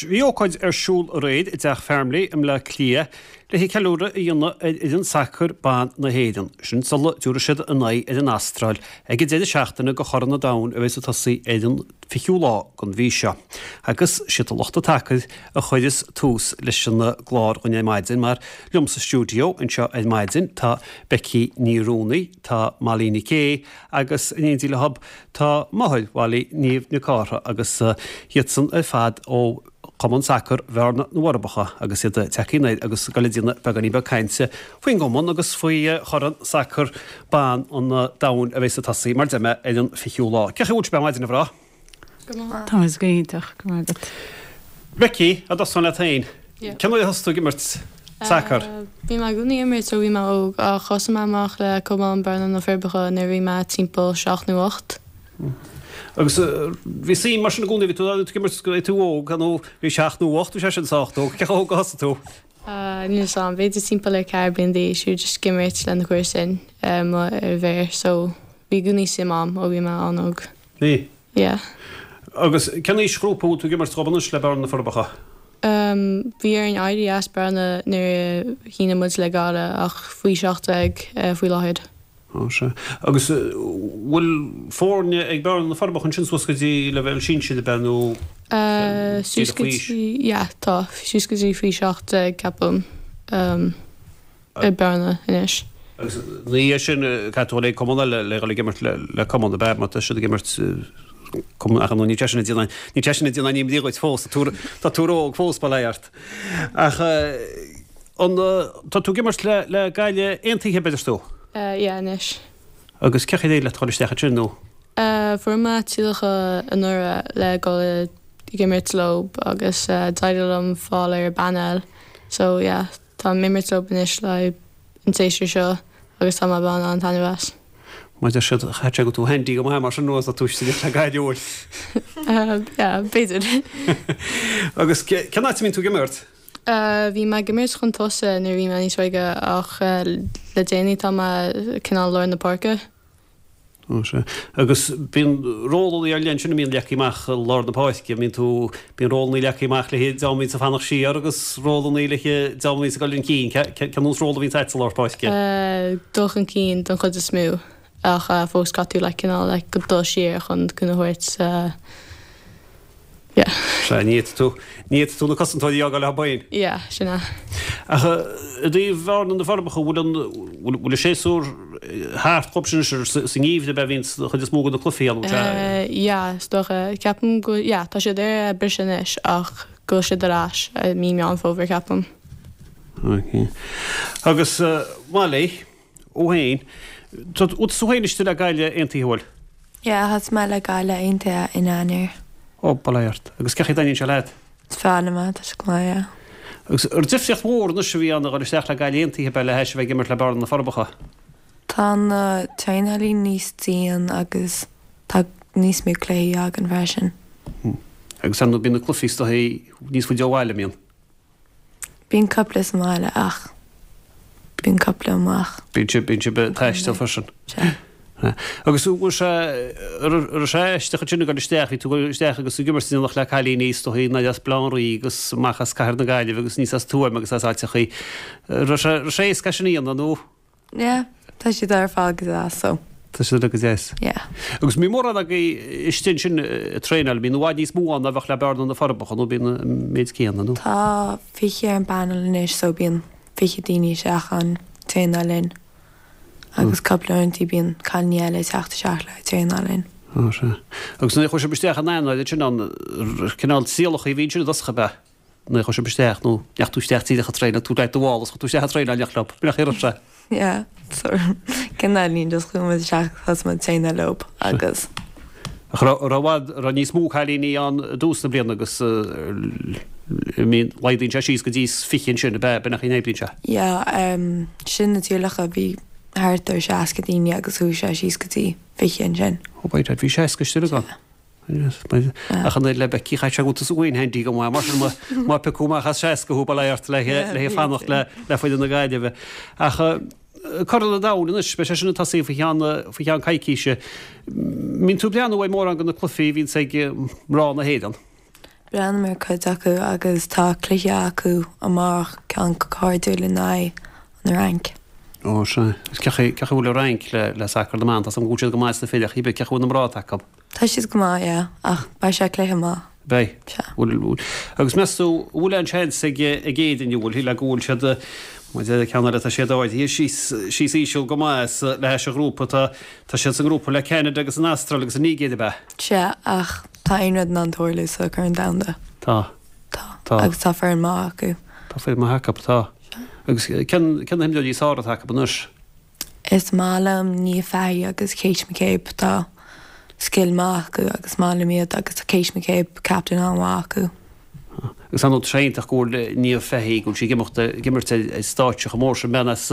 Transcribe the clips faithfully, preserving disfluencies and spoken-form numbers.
bhí ócáid ar siúl aréir i dTeach Farmleigh i mBleá Cliath le ceiliúradh a dhéanamh ar fhoireann sacair ban na hÉireann. Sin sula dtabharfaidh siad a n-aghaidh ar an Astráil ag an deireadh seachtaine de Chorn an Domhain a bheas ag tosaí ar an fichiú lá den mhí seo. Agus siad lucht an tsacair a chuireas tús leis an gclár dhúinn ar maidin mar liom sa stiúideo anseo ar maidin tá Becky Ní Rúnaí, tá Molly Nic Aodha agus in éindí leob tá máthair Mholly Niamh Nic Cártha agus iadsan ar fad ó Chumann Sacair Bhearna na bhForbacha agus iad tagtha anoir agus ag dul ag déanamh beagáinín beag cainte faoin gcumann agus faoi Chorn Sacair Ban an Domhain a bheas ag tosaí mar deir mé ar an fichiú lá. Cén chaoi a bhfuil sibh ar maidin a mhná? Tá muid go hiontach go maith agat. Becky, a dtosóinn leat féin. Cén uair a thosaigh tú ag imirt sacair? Bhí mé i gcónaí ag imirt ó bhí mé óg ach thosaigh mé amach le Cumann Bearna na Forbacha nuair a bhí mé timpeall seacht nó ocht. Agus bhí suim mar sin i gcónaí, bhí tú ag imirt go tú óg nó bhí seacht nó ocht, bhí sé sin sách óg, cé chomh hóg a thosaigh tú? Níl 'fhios a'm, b'fhéidir timpeall ar ceathair bliain d'aois, bhí just ag imirt le na comharsain ar mhéar so bhí i gcónaí suim a'm ó bhí mé an-óg. Bhí? Yeah. Agus cén aoisghrúpa a bhfuil tú ag imirt dhóibh anois le Bearna na Forbacha? Bhí orainn éirí as Bearna nuair a shínigh muid le Gaillimh ach faoi seacht déag faoi láthair. Ó sea. Agus bhfuil foirne ag Bearna na Forbacha ansin suas go dtí leibhéal sinsir ab ea nó Suas go dtí, yeah, tá, suas go dtí faoi seacht déag ceapaim i Bearna anois. Agus ina dhiaidh sin caithfidh tú dul ag cumann eile le dhul ag imirt le cumann ab ea má tá siad ag imirt cumann ach nó níl sé sin ag déanamh níl sé sin ag déanamh imní dhuit fós tá tú tá tú óg fós bail ó Dhia ort. Ach an tá tú ag imirt le le Gaillimh Aontaithe ab ea deir tú? Yeah anois. Agus cén chaoi ar éirigh leat dhul isteach ansin nó? Fuair mé tíolactha anuraidh le dhul ag imirt leo agus d'éirigh liom fáil ar an bpainéal so yeah tá mé ag imirt leo anois le an séasúr seo agus tá mé ag baint an-taitneamh as. Mar deir siad chaithfeadh sé go tú handy go maith mar sin nó tá tú istigh le Gaillimh. Yeah b'fhéidir. Agus cén áit a mbíonn tú ag imirt? Bhí mé ag imirt chun tosaigh nuair a bhí mé níos óige ach le déanaí tá mé cineál lár na páirce. Ó sea. Agus bíonn rólanna ar leith ansin a mbíonn leagtha amach i lár na páirce, mbíonn tú, bíonn rólanna leagtha amach le haghaidh dream a bhíonns ag fanacht siar agus rólanna le haghaidh dream a bhíonns ag dul chun cinn. Cén nós ról a bhíonns agat sa lár páirce? Dul chun cinn don chuid is mó ach fós caithfidh tú like cineál like dul siar chun cúnamh a thabhairt. Yeah. Sea, ní fhéadfaidh tú, ní fhéadfaidh tú na cosantóirí a fhágáil leo féin. Yeah, sin é. Ach i dtaobh Bhearna na Forbacha, bhfuil an, bhfuil, bhfuil an séasúr thart dhóibh sin anois sa ngeimhreadh ab ea a bhíonn an chuid is mó de na cluichí ann, sea? Yeah, is dócha. Ceapaim go, yeah, tá siad ar briseadh anois ach go bhfuil siad ar ais i mí Meán Fómhair, ceapaim. Ok. Agus Molly, thú féin, tá tú féin istigh le Gaillimh Aontaithe, bhfuil? Yeah, thosaigh mé le Gaillimh Aontaithe in Eanáir. Ó, bail ó Dhia ort. Agus cén chaoi a dtaitníonn sé leat? Is fearr liom é, tá sé go maith, yeah. Agus ar difríocht mhór anois a bhí ann a dhul isteach le Gaillimh Aontaithe ab ea le hais a bheith ag imirt le Bearna na Forbacha? Tá na traenálaí níos dian agus tá níos mó cluichí againn freisin. Agus ar ndóigh bíonn na cluichí is dóichí níos faide ó bhaile, an mbíonn? Bíonn cúpla sa mbaile ach bíonn cúpla amach. Bíonn sibh, bíonn sibh ag taisteal freisin. Sea. Agus bhfuil sé, an raibh sé aisteach ansin ag dul isteach, bhí tú ag dul isteach agus ag imirt in éineacht le cailíní is dóichí nár as Baile Átha an Rí agus amach as Cathair na Gaillimhe agus aníos as Tuaim agus as áiteachaí. Raibh sé, raibh sé éasca sin a dhéanamh nó? Yeah, tá siad ar fad go deas so. Tá siad uilig go deas. Yeah. Agus mbíonn mórán agaibh istigh ansin ag traenáil, mbíonn i bhfad níos mó ann ná bheadh le Bearna na Forbacha nó bíonn an méid céanna nó? Tá fiche ar an bpanel anois so bíonn fiche daoine isteach ann traenáil linn agus cúpla uaireanta bíonn cailíní eile ag teacht isteach le traenáil linn. Ó sea. Agus nuair a chuaigh sibh isteach in Eanáir ansin an cineál trialacha a bhí ansin i dtosach ab ea? Nuair a chuaigh sibh isteach nó ndeachaigh tú isteach díreach ag traenáil, tú leat do mhála is chuaigh tú isteach ag traenáil in éineacht leo, nach raibh sé? Yeah, so cineáilín just chuaigh muid isteach thosaigh muid traenáil leo agus. Ach raibh raibh i bhfad raibh níos mó cailíní ann i dtús na bliana agus I mean laghdaíonn sé síos go dtí fiche ansin ab ea, b'in an chaoi a n-oibríonn sé? Yeah, um sin na trialacha bhí thart ar seasca daoine agus chuaigh sé síos go dtí fiche ansin. Oh by dad bhí seasca istigh ann. Ach an oiread le Becky chaithfeadh sé go bhfuil tusa féin handy go maith mar sin má piocadh amach as seasca thú bail ó Dhia ort le le fanacht le le foireann na Gaillimhe. Ach Corn an Domhain anois, beidh sé sin ag tosaí faoi cheann faoi cheann coicíse. Mbíonn tú ag breathnú ar mórán de na cluichí a bhíonns ag mná na hÉireann? Breathnaím ar cuid acu agus tá cluiche acu amárach ceann cairdiúil in aghaidh an Fhrainc. Ó sea. Is cén chaoi a bhfuil an Fhrainc le le sacar na mban? Tá 's agam go bhfuil siad go maith sna fir ach cén chaoi a bhfuil na mná atá acu? Tá siad go maith, yeah, ach beidh sé cluiche maith. Beidh. Sea. Bhfuil, bhfuil. Agus meas tú, bhfuil aon seans ag ag Éirinn, an bhfuil, le go bhfuil siad, mar deir ceann eile, tá siad ardaithe síos, síos íseal go maith sa, le hais an ghrúpa, tá, tá siad sa ngrúpa le Ceanada agus an Astráil agus an Nigéir, ab ea? Sea, ach tá aon rud in ann tarlú sa Chorn Domhanda. Tá. Tá. Tá. Agus tá foireann maith acu. Tá foireann maith acu, tá. Sea. Agus cén, cén na himreoirí is fearr atá acu anois? Is maith liom Niamh Fahey agus Kate McCabe, tá scil maith acu agus maith liom iad agus tá Kate McCabe captain an-mhaith acu. Agus ar ndóigh tá sé iontach go bhfuil Niamh Fahey, go bhfuil sí ag imeacht, ag imirt ar stáitse chomh mór sin, bean as,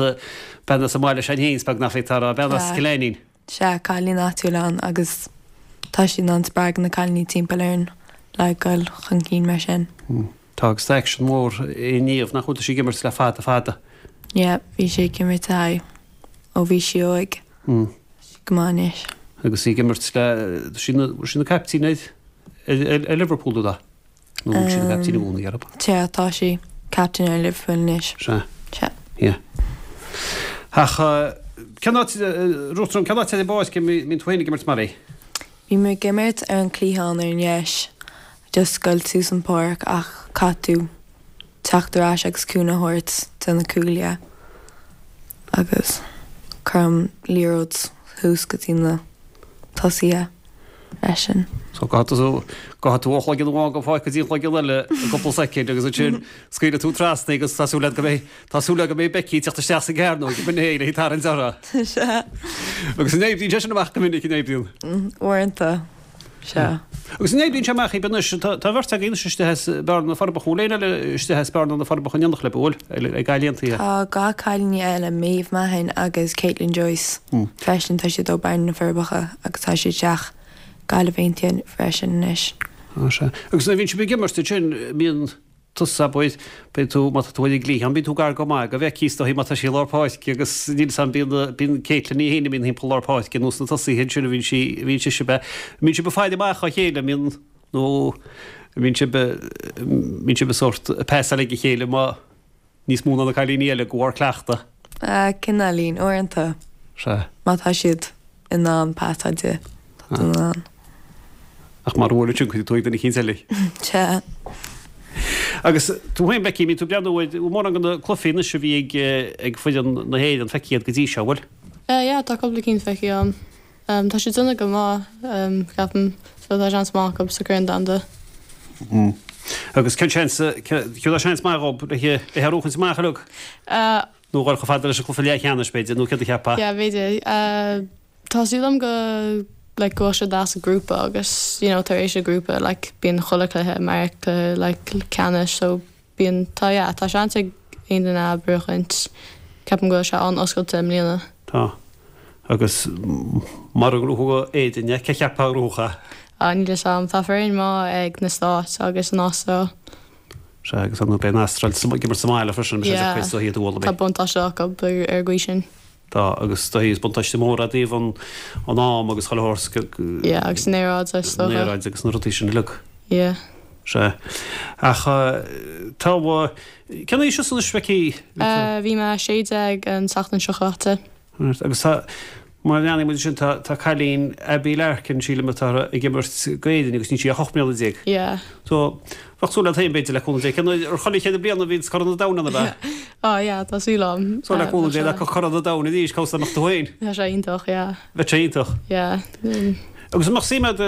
bean as an mbaile sin féin, is beag nach bhféadfá a rá, bean as Sea. Cill Ainnín. Sea, cailín áitiúil ann agus tá sí in ann spreagadh na cailíní timpeall orainn le dhul chun cinn mar sin. Tá agus tá aicsean mór i Niamh, nach bhfuil, tá sí ag imirt le fada fada. Yeah, bhí sí ag imirt le ó bhí sí óg. Mm. Go maith anois. Agus í ag imirt le, tá sí ina, sí ina caiptín ar, ar, ar, ar Liverpool nó da? Nó bhfuil sí ina caiptín i gcónaí orthu? Sea, tá sí captain ar Liverpool anois. Sea. Sea. Yeah. Ach cén áit, Ruth, cén áit ar an bpáirc a mbíonn tú féin ag imirt mar é? Bhí mé ag imirt ar an cliathán ar an dheis, just goil suas an páirc ach caithfidh tú teacht ar ais agus cúnamh a thabhairt do na cúlaithe agus cuirim liathróid thuas go dtí na tosaithe freisin. So gabhfaidh tú gabhfaidh tú ó chloigeann amháin den pháirc go dtí an cloigeann eile i gcúpla soicind agus ansin scaoilfidh tú trasna agus tá súil agat go mbeidh tá súil agat go mbeidh Becky ag teacht isteach sa gcearnóg ag an éin ag tarraingt orthu. Sea. Agus an oibríonn sé sin amach go minic an oibríonn? Uaireanta. Sea. Agus an oibríonn sé amach ag anois tá tá bheirt agaibh anois istigh as Bearna na Forbacha bhfuil éinne eile istigh as Bearna na Forbacha in éineacht libh an bhfuil ag Gaillimh Aontaithe? Tá dhá cailíní eile, Maeve Mahon agus Caitlin Joyce freisin, tá siad ó Bearna na Forbacha agus tá siad isteach Gaillimh Aontaithe freisin anois. Á sea. Agus nuair a bhíonn sibh ag imirt ansin bíonn tusa abair, bíonn tú, má tá tú ar an gcliathán, bíonn tú gar go maith do Bhecky is dóigh má tá sí i lár páirce agus níl 's a'm bíonn, bíonn Caitlin í féin a bhíonn thimpeall lár páirce ar nós na tosaithe ansin a bhíonn sí, a bhíonn sise ab ea. Mbíonn sibh ag faire amach dá chéile, mbíonn, nó mbíonn sibh, mbíonn sibh ag sórt ag pasáil ag a chéile má, níos mó ná na cailíní eile de bharr cleachtadh. Cineáilín, uaireanta. Sea. Má tá siad in ann pasáil di, tá tú in ann. Ach mara bhfuil ansin cuirfidh tú ag duine eicínt eile. Sea. Agus tú féin, Becky, mbíonn tú ag breathnú ar mórán de na cluichí anois a bhí ag ag foireann na hÉireann feicthe iad go dtí seo, bhfuil? Yeah, tá cúpla cinn feicthe agam. Tá siad déanamh go maith, ceapaim, so tá seans maith acu sa Chorn Domhanda. Agus cén seans, céard é seans maith dhób le le é a bhuachaint amach uilig? Nó dhul chomh fada leis an cluiche leathcheannais, b'fhéidir, nó céard a cheapfá? Yeah, b'fhéidir. Tá súil agam go like go bhfuil siad as an grúpa agus you know tar éis an grúpa like bíonn chuile cluiche mar cluiche like ceannais so bíonn tá yeah tá seans ag aon duine a bhuachaint. Ceapaim go bhfuil sé an-oscailte i mbliana. Tá. Agus mara ngnóthóidh Éirinn é, cé cheapfá a ghnóthódh é? Ah níl fhios a'm. Tá foireann maith ag na Stáit agus an Astráil. Sea, agus ar ndóigh beidh an Astráil ag imirt sa mbaile freisin, beidh sé Yeah. deacair is dóigh iad a bhualadh. Tá buntáiste acu ar ar an gcaoi sin. Tá, agus is dóigh is buntáiste mór é i dtaobh an an am agus chuile shórt. Yeah, agus an aeráid is An dócha. aeráid agus na rudaí sin uilig. Yeah. Sea. Ach tá, cén aois thusa anois, Becky? Bhí mé sé déag an tseachtain seo chaite. Agus tá, má leanann muid sin, tá, tá cailín Abbie Larkin, sílim atá ag imirt d'Éirinn agus níl sí ach ocht mbliana déag. Yeah. So, bheadh súil agat féin b'fhéidir le cúnamh Dé. Cén uair ar chuile chéad bliain a bhíonn Corn an Domhain ann ab ea? Oh yeah, tá súil agam. So le cúnamh Dé le Corn an Domhain arís, cá mbeadh tú féin? Tá sé iontach, yeah. Bheadh sé iontach. Yeah. Mm. Agus an mbeadh suim agat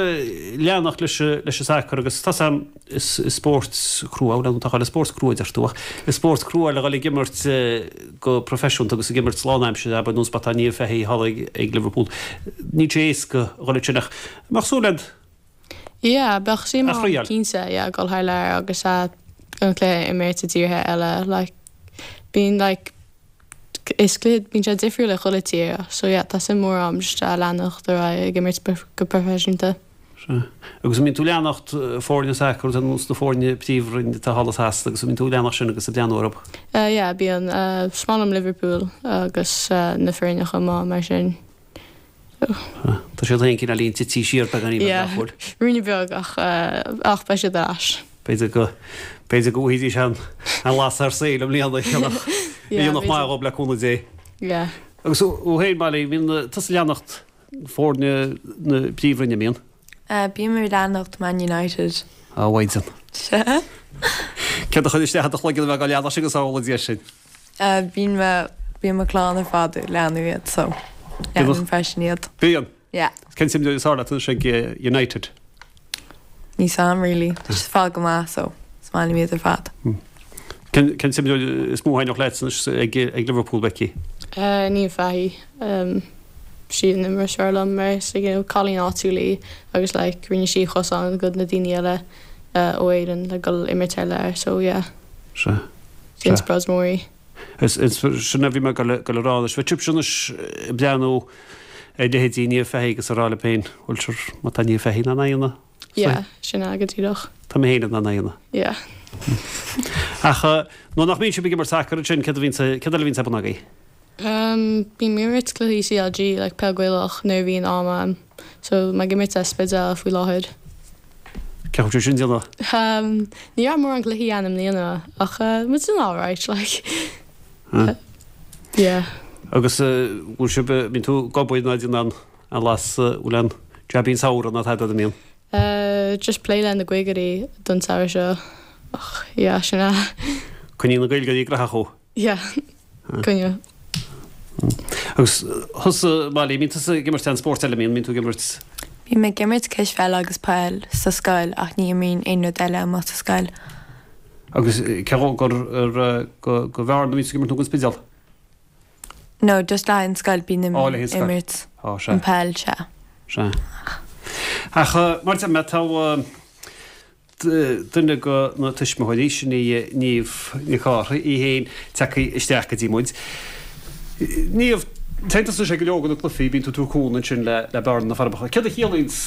leanacht leis leis an sacar agus tá 's a'm is is spórt crua bhuel tá chuile spórt crua deir tú ach is spórt crua le dhul ag imirt go proifisiúnta agus ag imirt lánaimseartha abair nós mar atá Niamh Fahey thall ag ag Liverpool. Níl sé éasca a dhul ansin ach an mbeadh súil agat Yeah, bheadh suim A agam thriail. cinnte, yeah, dul thar lear agus an cluiche a imirt i dtíortha eile like bíonn like is cluiche bíonn sé difriúil i chuile tír so yeah tá suim mór agam just a leanacht ar aghaidh ag imirt go proifisiúnta. Sea. Agus an mbíonn tú ag leanacht foirne sacair ar nós na foirne príomhroinn atá thall i Sasana agus an mbíonn tú ag leanacht sin agus ag breathnú orthu? Uh, yeah, bíonn uh, is maith liom Liverpool agus uh, na foirne chomh maith mar sin. Tá siad féin cineáilín tite siar beagáinín Yeah, nach bhfuil. Ruainne beag ach uh, ach beidh siad ar ais. Beidh B'fhéidir go b'fhéidir go bhfaighidís an an lasair saoil i mbliana dhéanfadh maith dhóibh le cúnamh Dé. Yeah. Agus thú féin Molly, bíonn tusa ag leanacht foirne na Príomhroinne, mbíonn? Bím ag leanacht Man United. A Mhaighdean. Sea. Céard a chuir isteach i do chloigeann a bheith á leanacht sin go samhla Dia sin? Bíonn mo bíonn mo chlann ar fad ag leanadh iad so leanaim freisin iad. Bíonn? Yeah. Cén t-imreoir is fearr leat anois ag United? Níl 's a'm really. Tá siad ar fad go maith so is maith liom iad ar fad. Cén cén t-imreoir is mó a thaitneodh leat anois ag ag Liverpool, Becky? Uh, Niamh Fahey. Um, sí an imreoir is fearr liom mar is you know, cailín áitiúil í agus like, rinne sí cosán do na daoine eile uh, ó Éirinn le dul imirt thar lear so yeah. Sea. Is inspioráid mór í. Is is sin a bhí mé ag dul ag dul a rá anois. Bheadh sibhse anois ag breathnú ar leithéidí Niamh Fahey agus ag rá libh féin, bhuel sure, má tá Niamh Fahey in ann é a dhéanamh. Yeah, sin é go díreach. Tá mé féin in ann é a dhéanamh. Yeah. Ach nuair nach mbíonn sibh ag imirt sacair ansin, céard a bhíonn céard eile a bhíonn ar bun agaibh? Um, bím ag imirt cluichí CLG, like peil Gaelach, nuair a bhíonn am a'm. So mé ag imirt sa Spidéal faoi láthair. Cén chaoi sin déanamh? Um, ní raibh mórán cluichí ann i mbliana, ach uh, muid in alright, like. Huh. Yeah. Agus bhfuil sibh bíonn tú ag obair ná déanamh an las bhfuil an jabín samhradh ná tada an mbíonn? Uh, just plé le na Gaeilgeoirí don samhradh seo. Ach, yeah, sin é. Coinníonn na Gaeilgeoirí graitheach thú? Yeah. Coinneoidh. Agus thusa Molly, mbíonn tusa ag imirt aon spórt eile, mbíonn, mbíonn tú ag imirt? Bím ag imirt cispheile agus peil sa scoil ach ní imrím aon rud eile amuigh sa scoil. Agus cé gur gur go go Bhearna a bhíonn tú ag imirt nó go Spidéal? No, just le an scoil bím Ó, le an scoil. imirt Ó, sea. an peil, sea. Sea. Ach mar deir mé, tá duine de na tuismitheoirí, sin í Niamh Nic Cárthaigh, í féin tagtha isteach go dtí muid. Niamh, téann tusa go leor de na cluichí, bíonn tú ag tabhairt cúnamh ansin le le Bearna na Forbacha. Céard a chiallaíonns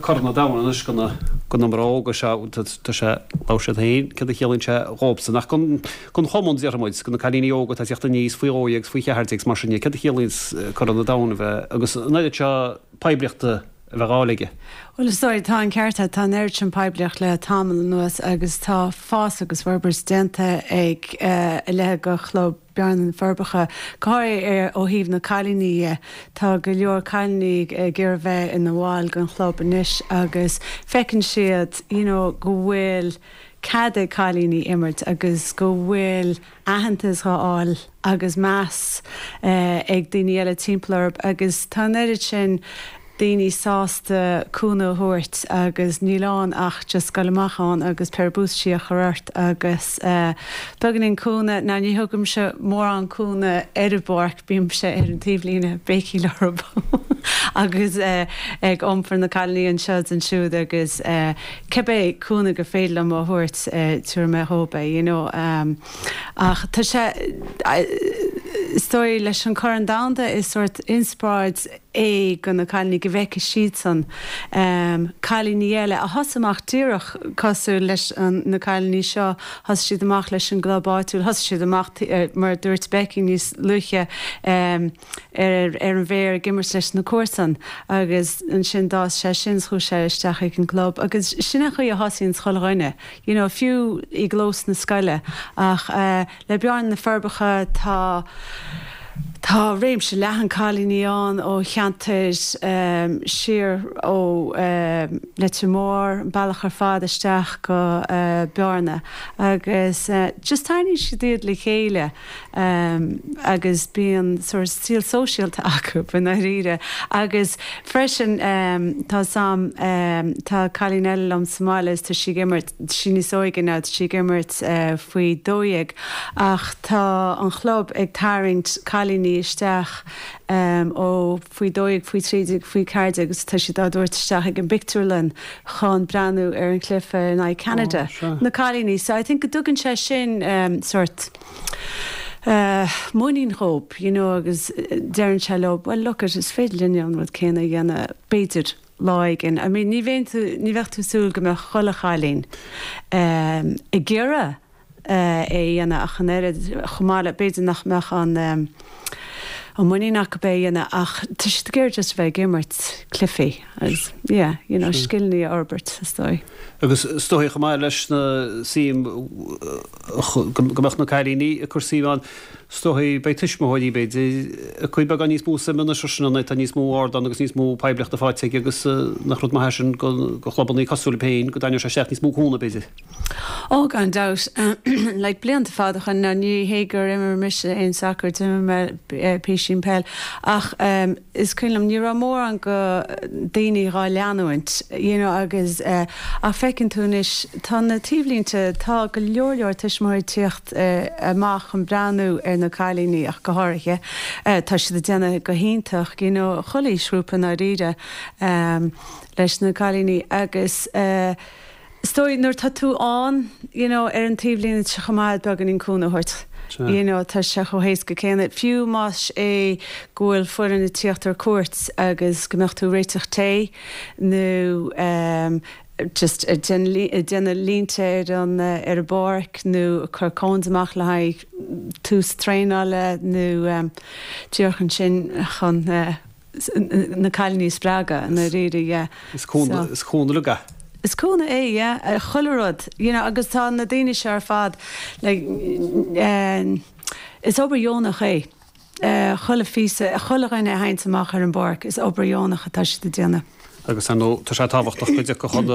Corn an Domhain anois do na do na mná óga seo, tá sé labhair siad féin, céard a chiallaíonn sé dhóibhsan ach don don chumann déarfaidh muid, do na cailíní óga atá ag teacht aníos faoi dhó dhéag is faoi cheathair déag is mar sin de, céard a chiallaíonns Corn an Domhain a bheith agus an oiread seo poiblíochta a bheith á fháil aige. Bhuel is dóigh, tá an ceart agat, tá an oiread sin poiblíocht le tamall anuas agus tá fás agus forbairt déanta ag a leithéid de chlub Bearna na Forbacha, go háirithe ó thaobh na cailíní dhe. Tá go leor cailíní ag iarraidh bheith ina bhaill den chlub anois agus feiceann siad you know go bhfuil cead ag cailíní imirt agus go bhfuil aitheantas á fháil agus meas ag daoine eile timpeall orthu agus tá an oiread sin daoine sásta cúnamh a thabhairt agus níl ann ach just dul amach ann agus péire buataisí a chur ort agus beagáinín cúnamh, now ní thugaimse mórán cúnamh ar an bpáirc, bímse ar an taobhlíne ag béicíl orthu agus ag iompar na cailíní anseo is ansiúd agus cibé cúnamh gur féidir liom a thabhairt tabharfaidh mé dhóibh é you know ach tá sé is dóigh leis an Corn Domhanda is sórt inspioráid é do na cailíní go bhfeicfidh siadsan cailíní eile a thosaigh amach díreach cosúil leis na cailíní seo, thosaigh siad amach leis an gclub áitiúil, thosaigh siad amach mar a dúirt Becky níos luaithe ar ar an bhféar ag imirt leis na comharsain agus ansin d'fhás sé sin is chuaigh sé isteach ag an gclub agus sin an chaoi a thosaíonn chuile dhuine you know fiú i gclós na scoile ach le Bearna na Forbacha tá Tá réimse leathan cailíní ann ó cheantair siar ó Leitir Móir, an bealach ar fad isteach go Bearna agus just tarraingíonn siad iad le chéile agus bíonn sórt saol sóisialta acu i ndáiríre. Agus freisin tá 's a'm, tá cailín eile liom sa mbaile is tá sí ag imirt, tá sí níos óige now, tá sí ag imirt faoi dó dhéag ach tá an chlub ag tarraingt cailíní isteach ó faoi dó dhéag, faoi trí déag, faoi ceathair déag agus tá siad á dtabhairt isteach ag an bpictiúrlann chun breathnú ar an chluiche in aghaidh Ceanada, na cailíní. So I think go dtugann sé sin sórt muinín dhóibh, you know, agus deireann sé leo, well look it, is féidir linne an rud céanna a dhéanamh, b'fhéidir, lá éigin. I mean ní bheinn tú, ní bheadh tú ag súil go mbeadh chuile chailín ag iarraidh é a dhéanamh ach an oiread, chomh maith le, b'fhéidir nach mbeadh an an muinín acu é a dhéanamh ach tá siad ag iarraidh just bheith ag imirt cluichí agus yeah, you know, scileanna a fhorbairt is dóigh. Agus is dóigh chomh maith leis na suim go mbeadh na cailíní ag cur suim ann, is dóigh beidh tuismitheoirí b'fhéidir ag cur beagán níos mó suime anois sin an tá níos mó ardán agus níos mó poiblíochta faighte aige agus nach rud maith é sin go chlubanna cosúil libh féin go dtarraingeodh sé isteach níos mó cúnamh b'fhéidir. Ó gan dabht, like blianta fada ó shin ní hé gur imir mise aon sacar d'imir mé písín peil ach um, is cuimhin liom ní raibh mórán go daoine dhá leanúint you know, agus uh, ach feiceann tú anois tá na taobhlínte tá go leor leor tuismitheoirí ag tíocht uh, amach chun breathnú ar na cailíní ach go háirithe uh, tá siad ag déanamh go hiontach you know, chuile ghrúpa dáiríre um, leis na cailíní agus uh, Is dóigh nuair tá tú ann you know, ar an taobhlíne sé chomh maith beagáinín cúnamh a thabhairt. You know, tá sé chomh héasca céanna. Fiú más é go bhfuil foireann ag tíocht ar cuairt agus go mbeadh tú réiteach tae nó um, just déanamh línte ar an ar an bpáirc nó cur cones amach le haghaidh tús traenála nó um, díreach ansin chun uh, na cailíní a spreagadh na ríre yeah. Is cúnamh le Is cúnamh é yeah, chuile rud you know, agus tá na daoine seo ar fad like, uh, is obair dheonach é. Uh, chuile phíosa chuile dhuine a théann amach ar an bpáirc is obair dheonach atá siad ag déanamh. Agus an tá sé tábhachtach go dtiocfadh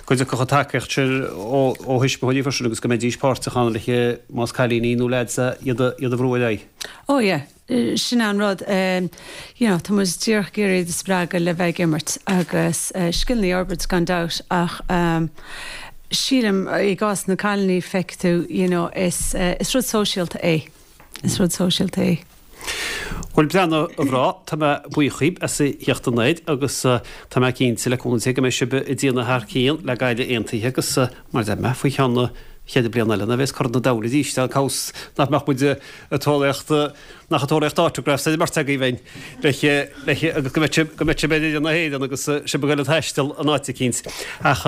go dtiocfadh tacaíocht ó ó thuismitheoirí freisin agus go mbeidís páirteach ann le más cailíní nó leaids iad iad a bhrú ar aghaidh. Ó yeah, sin an rud um, you know, tá muid díreach ag iarraidh spreagadh le bheith ag imirt agus uh, scileanna a fhorbairt gan dabht ach um, sílim i gcás na cailíní feicfidh tú you know, is, uh, is rud sóisialta é. Is rud sóisialta é. Bhuel breathnaigh a mhná, tá mé buíoch díbh as a theacht anoir agus tá mé cinnte le cúnamh Dé go mbeidh sibh ag déanamh thar cionn le Gaillimh Aontaithe agus mar a deir mé faoi cheann na chéad bliain eile nuair a bheas Corn an Domhain arís an cás nach mbeadh muid ag tóraíocht nach ag tóraíocht autographs ar an mbeirt agaibh féin le le agus go mbeidh sibh go mbeidh sibh ar fhoireann na hÉireann agus sibh ag dul ag taisteal an áit eicínt. Ach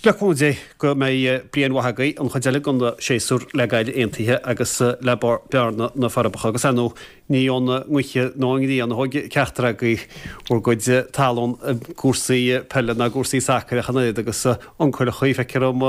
le cúnamh Dé go mbeidh bliain mhaith agaibh an chuid eile den séasúr le Gaillimh Aontaithe agus le Bearna na Forbacha agus ar ndóigh ní ón ngaoth nó an ghrian a thóg ceachtar agaibh bhur gcuid talún i gcúrsaí peile ná gcúrsaí sacair ach an oiread agus uncail feictear dom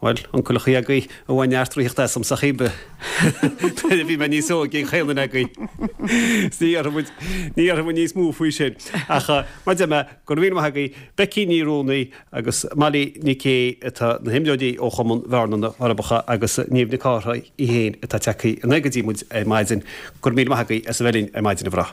bhuel, uncail agaibh a bhain neart draíocht asam sa chíbe. Nuair a bhí mé níos óige an chaon duine agaibh. Ní dhéarfaidh muid ní dhéarfaidh muid níos mó faoi sin. Ach mar a deir mé, go raibh míle maith agaibh, Becky Ní Ruanaí agus Molly Nic Aoidh atá na himreoirí ó Chumann Bhearna na Forbacha agus Niamh Nic Cárthaigh í féin atá tagtha anoir go dtí muid ar maidin. Go raibh míle maith agaibh as a bheith linn ar maidin a mhná.